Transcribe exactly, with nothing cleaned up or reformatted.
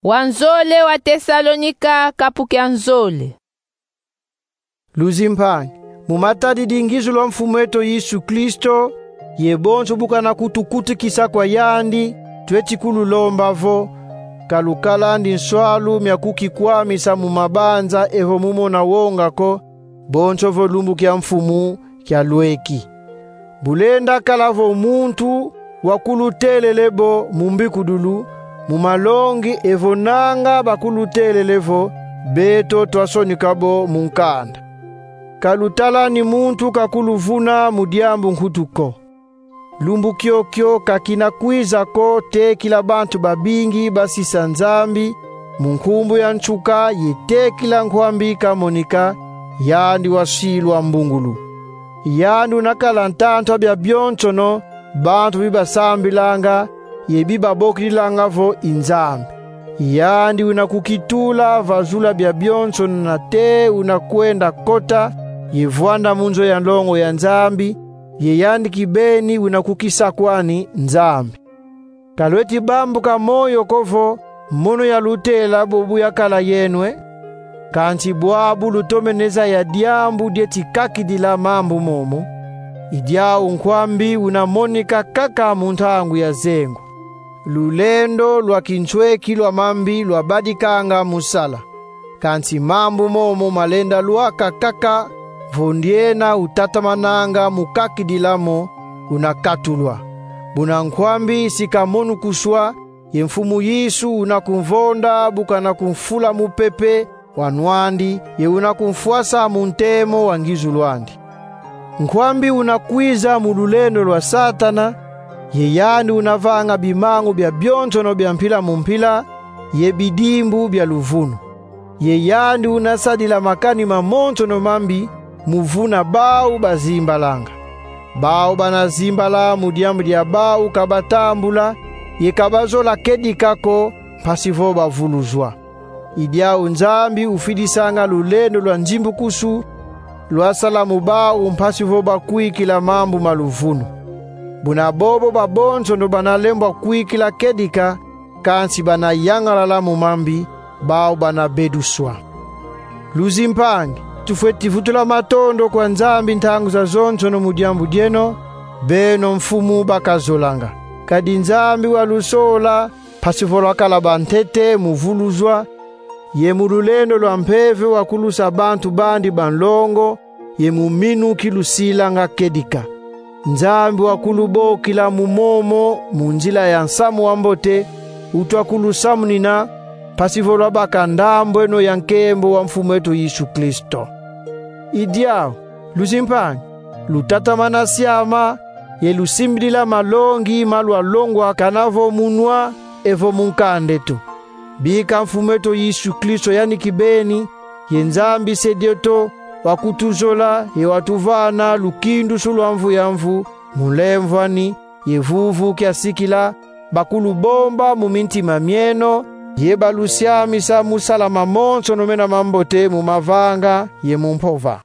Wanzole wa Tesalonika, kapu kia nzole. Luzimpangi, mu matadidi ngizu lwa Mfumu eto Yesu Kristo, ye bonso bu kana kutukutukisa kwa yandi, tweti kululomba vo: kalukalandi nswalu mia kukikwamisa mu mabanza evo mu mona wonga ko, bonso vo lumbu kia Mfumu kialweki. Bu lenda kala vo muntu wa kulutelele bo mu mbikudulu, mu malongi, evo nanga bakulutelele vo beto twasonika bo mu nkanda. Kalutalani muntu kakuluvuna mu diambu nkutu ko. Lumbu kiokio kakina kwiza ko tekila bantu babingi basisa Nzambi, mu nkumbu ya nsuka ye tekila nkwambi kamonika, yandi wasilwa mbungulu. Yandi una kala ntantu a bia bionsono bantu bibasambilanga ye bibabokilanga vo i Nzambi. Yandi una kukitula vazula bia bionsono na te una kwenda kota ye vwanda mu nzo ya nlongo ya Nzambi, ye yandi kibeni una kukisakwani Nzambi. Ka lweti bambuka moyo ko vo mono yalutela bo bu yakala yeno e. Kansi bwabu lutomene zaya diambu dieti kakidila mambu momo, i diau nkwambi una monika kaka mu ntangu ya zengo. Lulendo lwa kinsweki lwa mambi lwabadikanga mu sala. Kansi mambu momo malenda lwaka kaka vo ndiena utatamananga mu kakidila mo una katulwa. Buna nkwambi si kamonukuswa, ye Mfumu Yesu una kumvonda bu kana kumfula mupepe wa nwandi, ye una kumfwasa mu ntemo wa ngizu lwandi. Nkwambi una kwiza mu lulendo lwa Satana, ye yandi una vanga bimangu bia bionsono bia mpila mu mpila, ye bidimbu bia luvunu. Ye yandi una sadila makani mamonsono mambi mu vuna bau bazimbalanga. Bau bana zimbala mu diambu dia bau kabatambula, ye kabazola kedika ko, mpasi vo bavuluzwa. I diau Nzambi ufidisanga lulendo lwa nzimbukusu lwasala mu bau mpasi vo bakwikila mambu ma luvunu. Buna bobo babonsono bana lembwa kwikila kedika, kansi bana yangalala mu mambi, bau bana beduswa. Luzimpangi, tufweti vutula matondo kwa Nzambi ntangu zazonsono mu diambu dieno, beno mfumu bakazolanga. Kadi Nzambi walusola, mpasi vo lwakala bantete mu vuluzwa, ye mu lulendo lwa mpeve wakulusa bantu bandi banlongo, ye mu minu kilusilanga kedika. Nzambi wakulubokila mu momo mu nzila ya nsamu wa mbote, utwa kulusamunina, mpasi vo lwabaka ndambweno ya nkembo wa Mfumu eto Yesu Kristo. I diau, luzimpangi, lutatamana siama, ye lusimbidila malongi ma lwalongwa kana vo mu nwa evo mu nkanda eto. Bika Mfumu eto Yesu Kristo yani kibeni, ye Nzambi Se dieto, wakutuzola ye watuvana lukindusu lwa mvu ya mvu, mu nlemvwani, ye vuvu kiasikila, bakulubomba mu mintima mieno, ye balusiamisa mu sala mamonsono mena mambote mu mavanga ye mu mpova.